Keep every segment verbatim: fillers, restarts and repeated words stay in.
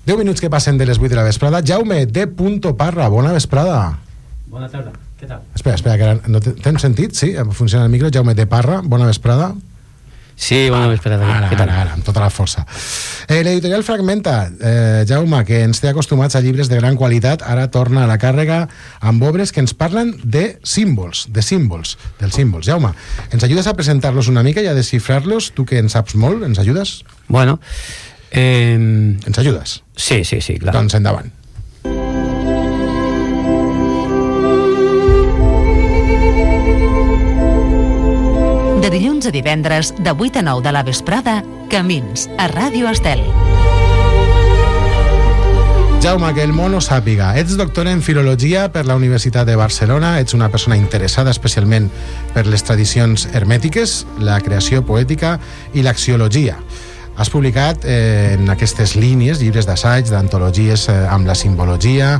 deu minuts que passen de les vuit de la vesprada. Jaume de Parra, bona vesprada. Bona tarda, què tal? Espera, espera, que ara no tens sentit? Sí, funciona el micro. Jaume de Parra, bona vesprada. Sí, bona vesprada. Ara, què tal? ara, ara, amb tota la força. Eh, L'editorial Fragmenta, eh, Jaume, que ens té acostumats a llibres de gran qualitat, ara torna a la càrrega amb obres que ens parlen de símbols, de símbols, dels símbols. Jaume, ens ajudes a presentar-los una mica i a desxifrar-los? Tu que en saps molt, ens ajudes? Bueno, eh... Ens ajudes? Sí, sí, sí, clar. Doncs endavant. De dilluns a divendres, de vuit a nou de la vesprada, Camins, a Ràdio Estel. Jaume, que el món ho sàpiga. Ets doctora en Filologia per la Universitat de Barcelona, ets una persona interessada especialment per les tradicions hermètiques, la creació poètica i l'axiologia. Has publicat eh, en aquestes línies llibres d'assaig, d'antologies eh, amb la simbologia,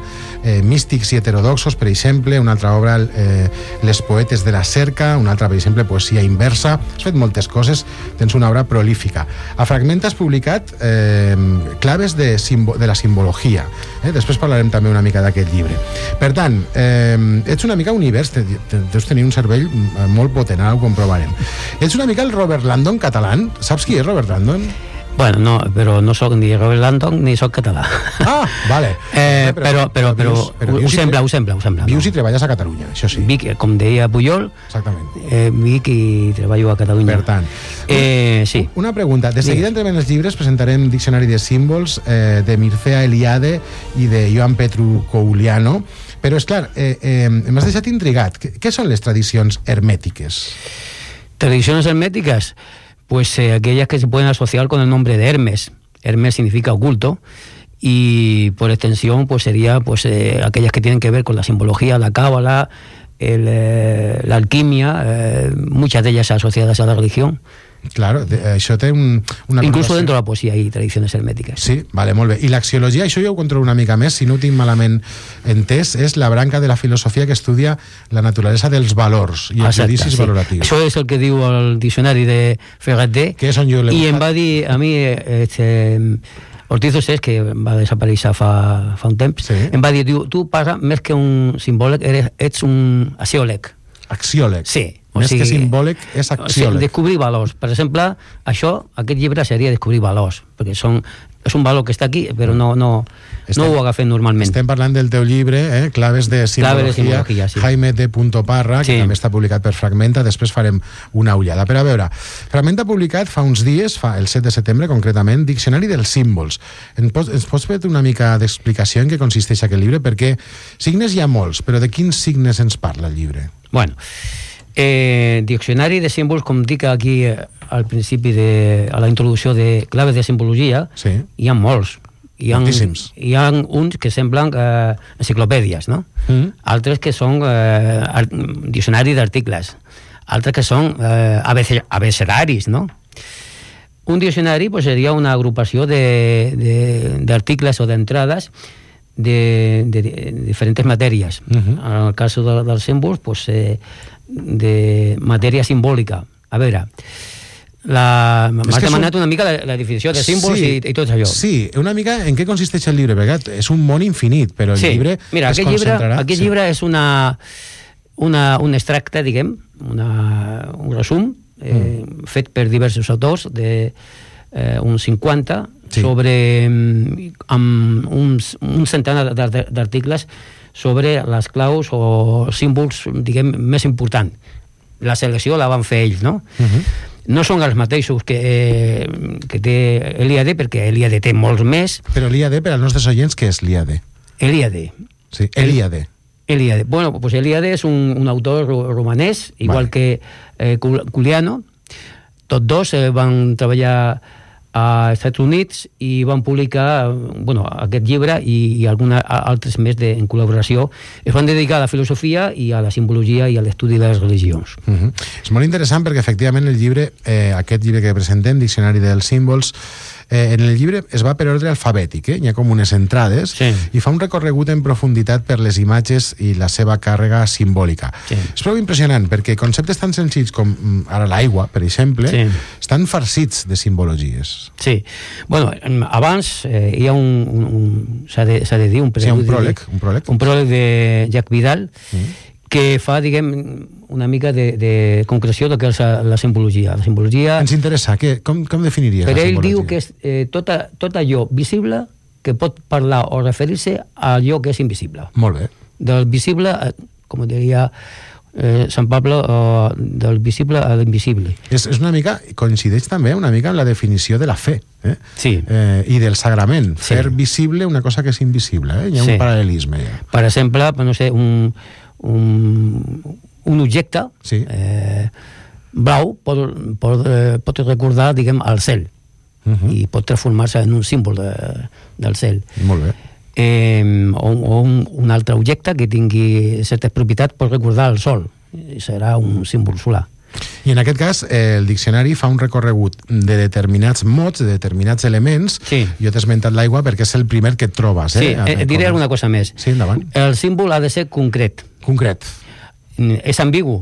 eh, místics i heterodoxos, per exemple, una altra obra, eh, Les poetes de la cerca, una altra, per exemple, poesia inversa. Has fet moltes coses, tens una obra prolífica. A Fragmenta has publicat eh, claves de, de la simbologia. Eh? Després parlarem també una mica d'aquest llibre. Per tant, eh, ets una mica univers, deus tenir un cervell molt potent, ara ho comprovarem. Ets una mica el Robert Landon català. Saps qui és Robert Landon? Bueno, no, però no soc ni Robert Landon ni soc català. Ah, vale. Eh, però, però, però, però ho sembla, ho sembla, ho sembla. Vius i treballes a Catalunya, això sí. Vic, com deia Pujol, exactament. Eh, Vic i treballo a Catalunya. Per tant, eh, sí. Una pregunta. De seguida entrem en els llibres, presentarem Diccionari de símbols eh, de Mircea Eliade i de Ioan Petru Kouliano, però és clar, eh, eh, m'has deixat intrigat. Què són les tradicions hermètiques? Tradiciones herméticas, pues eh, aquellas que se pueden asociar con el nombre de Hermes. Hermes significa oculto y por extensión pues sería pues eh, aquellas que tienen que ver con la simbología, la cábala, el, eh, la alquimia, eh, muchas de ellas asociadas a la religión. Claro, de, això té un, una incluso connotació. Dentro de la poesía hay tradiciones herméticas. Sí, vale, molt bé. I l'axiologia, això jo ho controlo una mica més, si no ho tinc malament entès, és la branca de la filosofia que estudia la naturalesa dels valors i els judicis sí. valoratius. Això és el que diu el diccionari de Ferreter, que és on jo l'he i em va dir a mi este, Ortiz Ossés, que va desaparèixer fa, fa un temps, sí. em va dir, diu, tu passa més que un simbòleg, eres, ets un axiòleg. Axiòleg? Sí. Més o sigui, que simbòleg és axiòleg. O sigui, descobrir valors. Per exemple, això, aquest llibre seria descobrir valors, perquè són, és un valor que està aquí, però no, no, estem, no ho agafem normalment. Estem parlant del teu llibre, eh? Claves de simbologia, Clave de simbologia sí. Jaime de Parra, que sí. també està publicat per Fragmenta, després farem una ullada. Però a veure, Fragmenta ha publicat fa uns dies, fa el set de setembre concretament, Diccionari dels símbols. Ens pots, ens pots fer una mica d'explicació en què consisteix aquest llibre? Perquè signes hi ha molts, però de quins signes ens parla el llibre? Bueno, Eh, diccionari de símbols, com dic aquí eh, al principi de, a la introducció de claves de simbologia, sí. hi ha molts. Hi ha, Moltíssims. Hi ha uns que semblen eh, enciclopèdies, no? Mm. Altres que són eh, diccionari d'articles, altres que són eh, abecedaris, no? Un diccionari pues, seria una agrupació d'articles o d'entrades de, de, de diferents matèries. Uh-huh. En el cas de, dels símbols, pues, eh, de matèria simbòlica. A veure, m'has demanat un... una mica la, la definició de símbols sí, i, i tot allò. Sí, una mica en què consisteix el llibre, perquè és un món infinit, però el sí. llibre Mira, es aquest concentrarà... Llibre, aquest sí. llibre és una, una, un extracte, diguem, una, un resum, eh, mm. fet per diversos autors, de eh, uns cinquanta, sí. sobre amb uns, un centenar d'articles sobre les claus o símbols, diguem, més importants. La selecció la van fer ells, no? Uh-huh. No són els mateixos que, eh, que té Eliade, perquè Eliade té molts més. Però Eliade, per als nostres oients, què és Eliade? Eliade. Sí, Eliade. Eliade. Bueno, pues Eliade és un, un autor romanès, igual vale. que eh, Kouliano. Tots dos eh, van treballar a Estats Units i van publicar bueno, aquest llibre i, i alguns altres més de, en col·laboració. Es van dedicar a la filosofia i a la simbologia i a l'estudi de les religions. Uh-huh. És molt interessant perquè efectivament el llibre, eh, aquest llibre que presentem, Diccionari dels símbols, Eh, en el llibre es va per ordre alfabètic, eh? Hi ha com unes entrades, sí. i fa un recorregut en profunditat per les imatges i la seva càrrega simbòlica. Sí. És prou impressionant, perquè conceptes tan senzills com ara l'aigua, per exemple, sí. estan farcits de simbologies. Sí. Bueno, abans eh, hi ha un... un, un s'ha de, s'ha de dir, un preludi, sí, un pròleg, un pròleg. Un pròleg de Jacques Vidal, mm. que fa, diguem, una mica de, de concreció del que és la simbologia. La simbologia... Ens interessa, que, com, com definiries la simbologia? Per ell diu que és eh, tot, tot allò visible que pot parlar o referir-se a allò que és invisible. Molt bé. Del visible, com diria eh, Sant Pablo, eh, del visible a l'invisible. És, és una mica, coincideix també una mica amb la definició de la fe, eh? Sí. Eh, i del sagrament, sí. fer visible una cosa que és invisible, eh? Hi ha sí. un paral·lelisme. Ja. Per exemple, no sé, un, un, un objecte sí. eh, blau pot, pot, eh, pot recordar, diguem, el cel, uh-huh. i pot transformar-se en un símbol de, del cel. Molt bé. Eh, o o un, un altre objecte que tingui certes propietats pot recordar el sol, i serà un símbol solar. I en aquest cas, eh, el diccionari fa un recorregut de determinats mots, de determinats elements. Sí. Jo t'he esmentat l'aigua perquè és el primer que et trobes. Eh? Sí, eh, et diré alguna cosa més. Sí, endavant. El símbol ha de ser concret. Concret. És ambigu.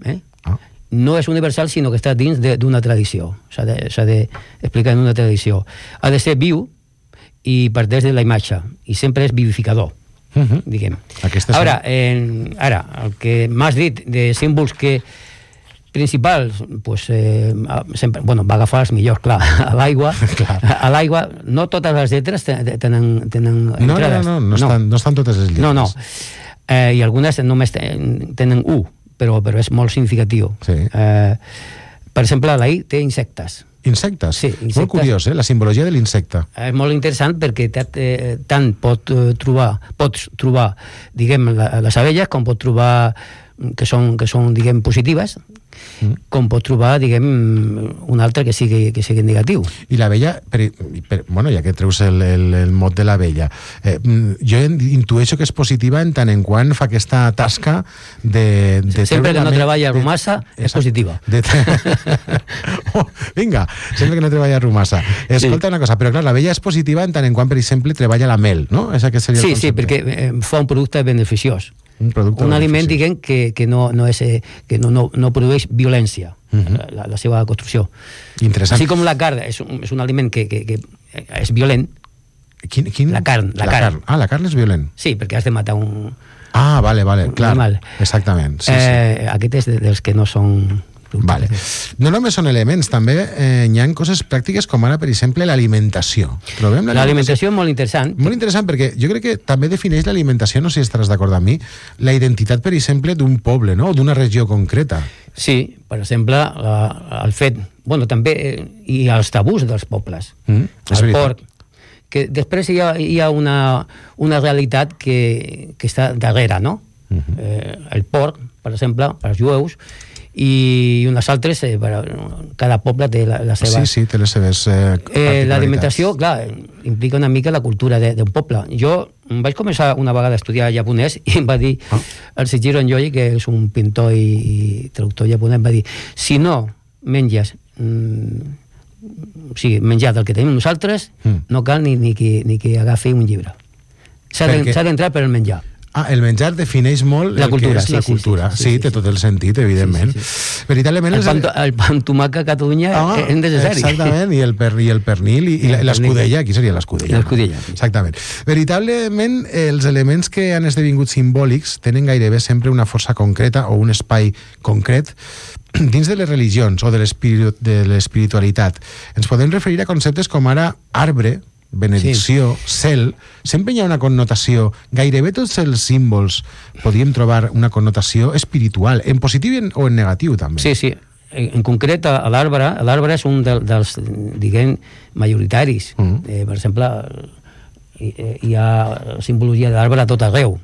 Eh? Ah. No és universal, sinó que està dins d'una tradició. S'ha d'explicar de, en una tradició. Ha de ser viu i parteix de la imatge. I sempre és vivificador. Uh-huh. Diguem. Ara, en, ara, el que m'has dit de símbols que principals, pues, eh, sempre, bueno, va agafar els millors, clar, a l'aigua. A l'aigua, no totes les lletres tenen, tenen entrades. No, no, no, no, estan, no estan totes les lletres. No, no. Eh, I algunes només tenen U, però, però és molt significatiu. Sí. Eh, per exemple, la I té insectes. Insectes? Sí, insectes. Molt curiós, eh? La simbologia de l'insecte. És molt interessant perquè eh, tant pot eh, trobar, pots trobar, diguem, la, les abelles, com pot trobar que són, que són diguem, positives, mm. com pot trobar, diguem, un altre que sigui, que sigui negatiu. I l'abella, per, per, bueno, ja que treus el, el, el mot de l'abella, eh, jo intueixo que és positiva en tant en quant fa aquesta tasca de... de sempre que no me... treballa romassa de... és positiva. De... oh, vinga, sempre que no treballa romassa. Escolta sí. una cosa, però clar, l'abella és positiva en tant en quant, per exemple, treballa la mel, no? Esa que seria sí, el sí, perquè eh, fa un producte beneficiós. Un, un aliment, diguem, que, que, no, no, és, que no, no, no produeix violència, uh-huh. la, la seva construcció. Interessant. Així com la carn és un, és un aliment que, que, que és violent. Quin, quin? La carn. La, la carn. carn. Ah, la carn és violent. Sí, perquè has de matar un... Ah, vale, vale, clar. Animal. Exactament. Sí, eh, sí. Aquest és dels que no són... Vale. No només són elements, també eh, hi ha coses pràctiques com ara, per exemple, l'alimentació. Trobem l'alimentació és molt interessant. Molt interessant perquè jo crec que també defineix l'alimentació, no sé si estaràs d'acord amb mi, la identitat, per exemple, d'un poble, no? D'una regió concreta. Sí, per exemple, el fet... Bueno, també hi ha els tabús dels pobles. Mm, el porc. Que després hi ha, hi ha una, una realitat que, que està darrere, no? Uh-huh. eh, el porc, per exemple, per als jueus, i unes altres, eh, cada poble té la, la seva... Sí, sí, té les seves eh, eh, l'alimentació, clar, implica una mica la cultura d'un poble. Jo vaig començar una vegada a estudiar japonès i em va dir, ah. el Seijiro Enjoi, que és un pintor i, i traductor japonès, va dir, si no menges mm, o sigui, menjar del que tenim nosaltres, mm. no cal ni, ni, que, ni que agafi un llibre. S'ha d'entrar per el menjar. Ah, el menjar defineix molt la el cultura, que és sí, la sí, cultura. Sí, sí, sí, sí, sí té tot el sentit, evidentment. Sí, sí, sí. Veritablement... El pan, el pan tomaca a Catalunya ah, és necessari. Exactament, i el, per, i el pernil, i, i l'escudella, aquí seria l'escudella. L'escudella. Sí. Exactament. Veritablement, els elements que han esdevingut simbòlics tenen gairebé sempre una força concreta o un espai concret dins de les religions o de l'espiritualitat. Ens podem referir a conceptes com ara arbre, benedicció, sí. cel, sempre hi ha una connotació, gairebé tots els símbols podríem trobar una connotació espiritual, en positiu o en negatiu també. Sí, sí, en concret a l'arbre, l'arbre és un de, dels, diguem, majoritaris. Mm. Eh, per exemple, hi, hi ha simbologia de l'arbre a tot arreu.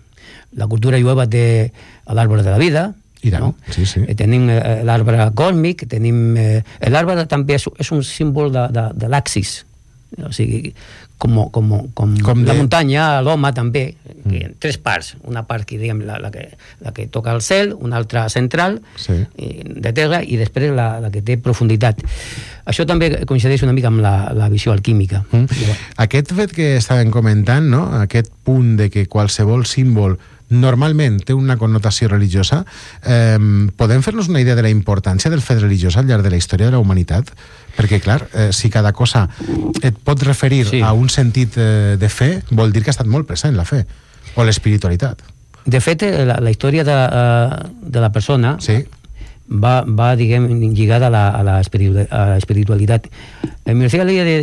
La cultura jueva té l'arbre de la vida, I tant, no? sí, sí. Eh, tenim eh, l'arbre còsmic, tenim... Eh, l'arbre també és, és un símbol de, de, de l'axis. o sigui, com, com, com, com la de... muntanya, l'home també, mm. en tres parts, una part que, diguem, la, la, que, la que toca el cel, una altra central, sí. de terra, i després la, la que té profunditat. Això també coincideix una mica amb la, la visió alquímica. Mm. Bueno. Aquest fet que estàvem comentant, no? Aquest punt de que qualsevol símbol normalment té una connotació religiosa, eh, podem fer-nos una idea de la importància del fet religiós al llarg de la història de la humanitat? Perquè, clar, eh, si cada cosa et pot referir sí. a un sentit eh, de fe, vol dir que ha estat molt present la fe, o l'espiritualitat. De fet, la, la història de, de la persona sí. va, va, diguem, lligada a la, a la espiritualitat. El Mircea Eliade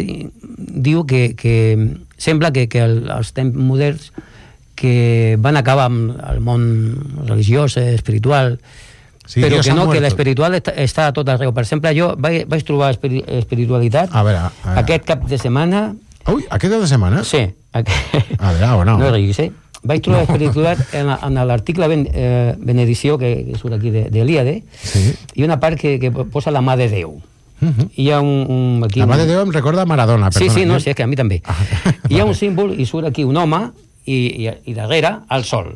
diu que, que sembla que, que els temps moderns que van acabar amb el món religiós, espiritual, sí, però que no, que l'espiritual està, està a tot arreu. Per exemple, jo vaig, vaig trobar espiri, espiritualitat a veure, a veure. aquest cap de setmana. Ui, aquest cap de setmana? Sí. Aquest... A veure, bueno. No riguis, eh? Vaig trobar no. espiritualitat en, en l'article ben, eh, benedició, que, que surt aquí d'Eliade, sí. i una part que, que posa la mà de Déu. Uh-huh. Hi ha un, un, aquí la mà de Déu em recorda Maradona. Sí, perdona, sí, no, sí, és que a mi també. Ah, hi ha vale. un símbol i surt aquí un home i, i, i darrere el sol.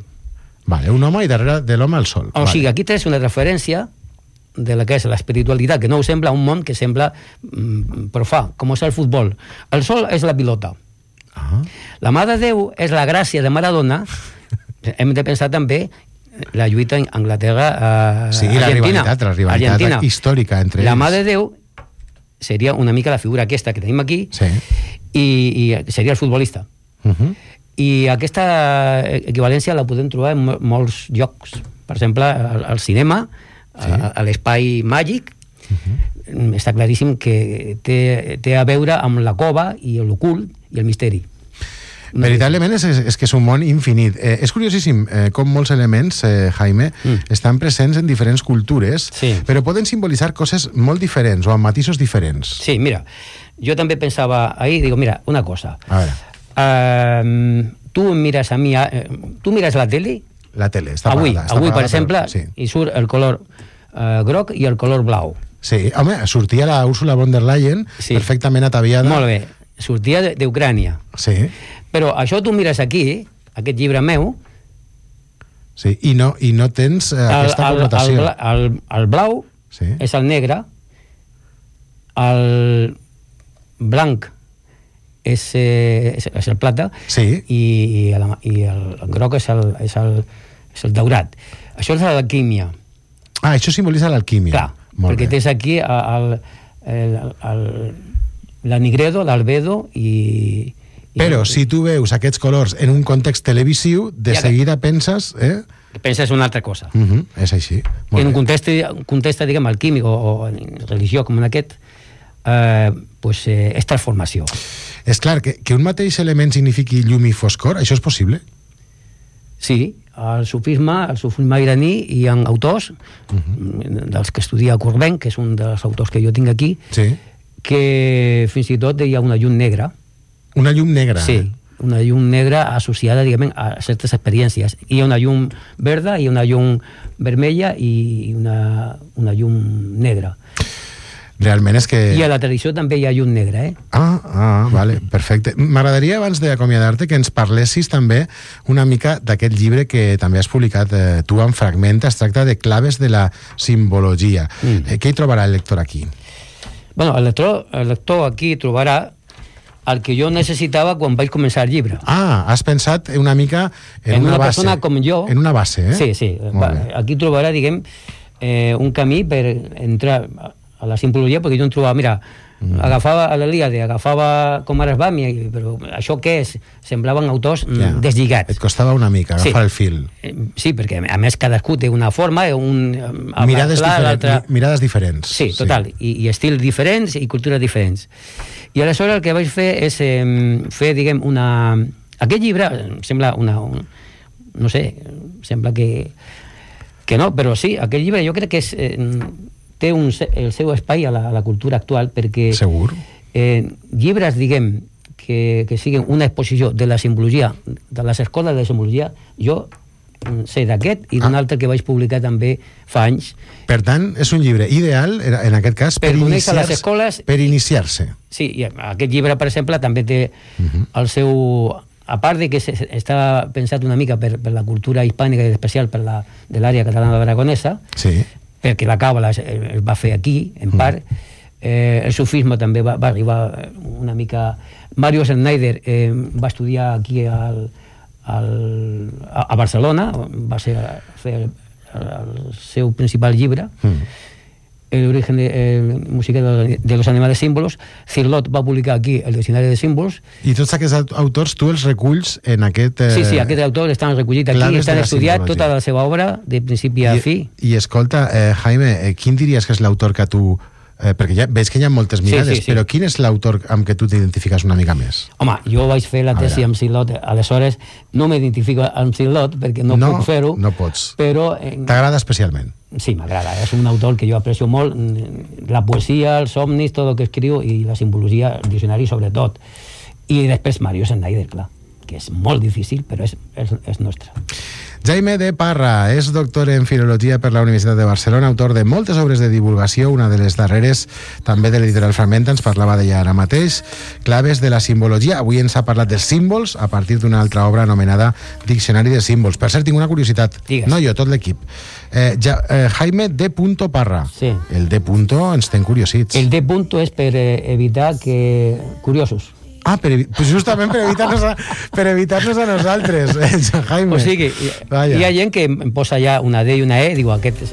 Vale, un home i darrere de l'home el sol. O vale. sigui, aquí tens una referència de la que és l'espiritualitat, que no us sembla un món que sembla mm, profà, com és el futbol. El sol és la pilota. Ah. La mà de Déu és la gràcia de Maradona. Hem de pensar també la lluita en Anglaterra a sí, Argentina. la rivalitat, la rivalitat Argentina. històrica entre la ells. mà de Déu seria una mica la figura aquesta que tenim aquí, sí. i, i seria el futbolista. Uh-huh. I aquesta equivalència la podem trobar en molts llocs. Per exemple, al, al cinema, sí. a, a l'espai màgic, uh-huh. està claríssim que té, té a veure amb la cova i l'ocult i el misteri. Veritablement és, és que és un món infinit. Eh, és curiosíssim eh, com molts elements, eh, Jaime, mm. estan presents en diferents cultures, sí. però poden simbolitzar coses molt diferents o amb matisos diferents. Sí, mira, jo també pensava ahir, digo, mira, una cosa. A veure. Uh, tu em mires a mi, uh, tu mires la tele? La tele, està avui, apagada. Està avui, apagada, per exemple, però, sí. hi surt el color uh, groc i el color blau. Sí, home, sortia la Ursula von der Leyen sí. perfectament ataviada. Molt bé, sortia d'Ucrània. Sí. Però això tu mires aquí, aquest llibre meu... Sí, i no, i no tens eh, el, aquesta el, connotació. El, el, el blau sí. és el negre, el blanc és, eh, és, és el plata sí. i, i, el, i el, el groc és el, és, el, és el daurat. Això és l'alquímia. Ah, això simbolitza l'alquímia. Clar, Molt perquè bé. tens aquí el, el, el, l'anigredo, l'albedo i... Però si tu veus aquests colors en un context televisiu, de ja seguida que... penses... Eh? Penses una altra cosa. Uh-huh, és així. Molt en un context, un context diguem, alquímic o, o en religió com en aquest, eh, pues, eh, és transformació. És clar, que, que un mateix element signifiqui llum i foscor, això és possible? Sí, al sufisme, al sufisme iraní hi ha autors, uh-huh. dels que estudia Courbet, que és un dels autors que jo tinc aquí, sí. que fins i tot hi ha una llum negra. Una llum negra? Sí, una llum negra associada, diguem, a certes experiències. Hi ha una llum verda, hi ha una llum vermella i una, una llum negra. Realment és que... I a la tradició també hi ha llum negra, eh? Ah, ah, vale, perfecte. M'agradaria, abans d'acomiadar-te, que ens parlessis també una mica d'aquest llibre que també has publicat eh, tu en fragment. Es tracta de Claves de la simbologia. Mm. Eh, què hi trobarà el lector aquí? Bueno, el lector, el lector aquí trobarà el que jo necessitava quan vaig començar el llibre. Ah, has pensat una mica en, en una, una base. persona com jo. En una base, eh? Sí, sí. Va, aquí trobarà, diguem, eh, un camí per entrar a la simbologia, perquè jo em trobava, mira, mm. agafava a l'Elíade, agafava com ara es va, però això què és? Semblaven autors ja. deslligats. Et costava una mica agafar sí. el fil. Sí, perquè a més cadascú té una forma, un... Mirades, clar, diferent, mirades diferents. Sí, total, sí. I, i estils diferents i cultures diferents. I aleshores el que vaig fer és eh, fer, diguem, una... Aquest llibre sembla una... Un... No sé, sembla que... Que no, però sí, aquest llibre jo crec que és, eh, té un, el seu espai a la, a la cultura actual perquè... Segur. Eh, llibres, diguem, que, que siguin una exposició de la simbologia, de les escoles de simbologia, jo ser d'aquest i d'un ah. altre que vaig publicar també fa anys. Per tant, és un llibre ideal, en aquest cas, per, per iniciar-se. Les escoles, per iniciar-se. Sí, i aquest llibre, per exemple, també té uh-huh. el seu... A part de que està pensat una mica per, per la cultura hispànica i especial per la, de l'àrea catalana aragonesa, sí. perquè la càbala es, es va fer aquí, en part, uh-huh. eh, el sufisme també va, va arribar una mica... Mario Schneider eh, va estudiar aquí al, al, a, a Barcelona, va ser fer el, el seu principal llibre, uh-huh. El origen de, eh, musical de, de los animales símbolos. Cirlot va publicar aquí el diccionari de símbols. I tots aquests autors tu els reculls en aquest... Eh, sí, sí, aquests autors estan recollits aquí, estan estudiat tota la seva obra de principi a I, fi. I escolta, eh, Jaime, eh, quin diries que és l'autor que tu... Eh, perquè ja veig que hi ha moltes mirades, sí, sí, sí. Però quin és l'autor amb què tu t'identifiques una mica més? Home, jo vaig fer la tesi amb Cirlot, aleshores no m'identifico amb Cirlot perquè no, no puc fer-ho. No pots. Però... Eh, t'agrada especialment? Sí, m'agrada. És un autor que jo aprecio molt, la poesia, els somnis, tot el que escriu, i la simbologia, el diccionari sobretot. I després Mario Schneider, clar, que és molt difícil, però és, és, és nostre. Jaime de Parra és doctor en Filologia per la Universitat de Barcelona, autor de moltes obres de divulgació, una de les darreres també de l'editorial Fragmenta, ens parlava d'ella ara mateix, Claves de la simbologia. Avui ens ha parlat dels símbols a partir d'una altra obra anomenada Diccionari de símbols. Per cert, tinc una curiositat, Digues. No jo, tot l'equip. Eh, ja, eh, Jaime de Parra. Sí. El D. ens ten curiosits. El D. és per eh, evitar que... curiosos. Ah, per, pues justament per evitar-nos a, per evitar-nos a nosaltres, Jaime. O sigui, hi, hi ha gent que em posa ja una D i una E, diu aquest...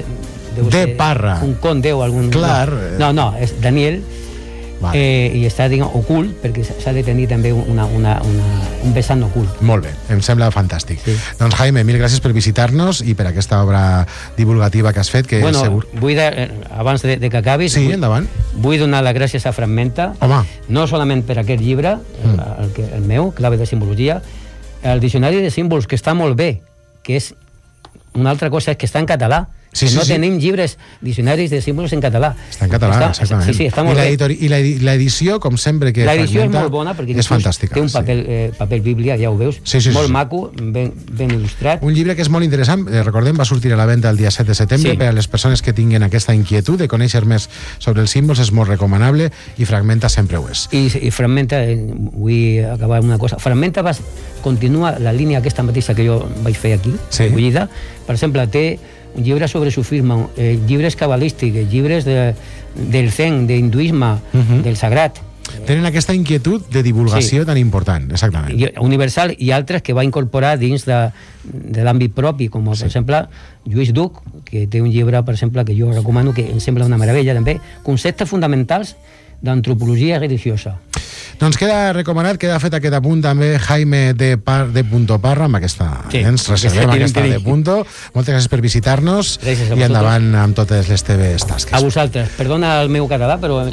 Deu de Parra. Un conde o algun... Clar. No, no, és Daniel, vale. eh, i està, diguem, ocult, perquè s'ha de tenir també una, una, una, un vessant ocult. Molt bé, em sembla fantàstic. Sí. Doncs Jaime, mil gràcies per visitar-nos i per aquesta obra divulgativa que has fet, que bueno, segur... vull de, abans de, de que acabis... Sí, vull, endavant. Vull donar les gràcies a Fragmenta, Home. No solament per aquest llibre, mm. el, el, que, el meu, Clave de simbologia, el diccionari de símbols, que està molt bé, que és una altra cosa, és que està en català. Sí, sí, no sí. tenim llibres, diccionaris de símbols en català. Està en català, està, exactament. Sí, sí, està molt I bé. I l'edició, com sempre que l'edició és molt bona, perquè és fantàstica, té un paper, sí. eh, paper bíblia, ja ho veus, sí, sí, molt sí. maco, ben, ben il·lustrat. Un llibre que és molt interessant, eh, recordem, va sortir a la venda el dia set de setembre, sí. Per a les persones que tinguin aquesta inquietud de conèixer més sobre els símbols, és molt recomanable, i Fragmenta sempre ho és. I, i Fragmenta, eh, vull acabar amb una cosa, Fragmenta va, continua la línia aquesta mateixa que jo vaig fer aquí, sí. Recollida. Per exemple, té un llibre sobre sufisme, eh, llibres cabalístics, llibres de, del zen, d'hinduisme, uh-huh. del sagrat. Tenen aquesta inquietud de divulgació sí. tan important, exactament. I, universal, i altres que va incorporar dins de, de l'àmbit propi, com sí. Per exemple Lluís Duc, que té un llibre, per exemple, que jo recomano, que em sembla una meravella també, Conceptes fonamentals d'antropologia religiosa. Doncs queda recomanat, queda fet aquest apunt també Jaime de, Par, de Punto Parra, amb aquesta, sí, ens reservem aquesta de Punto. Moltes gràcies per visitar-nos i endavant amb totes les teves tasques. A vosaltres, perdona el meu català, però...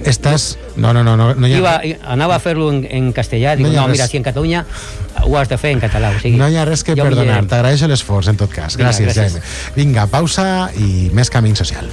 Estàs... No, no, no, no, no hi ha... Iba, anava a fer-lo en, en castellà, dic, no, no mira, si en Catalunya ho has de fer en català. O sigui, no hi ha res que perdonar, t'agraeixo l'esforç en tot cas. Gràcies, Vinga, gràcies. Jaime. Vinga, pausa i més Camí Social.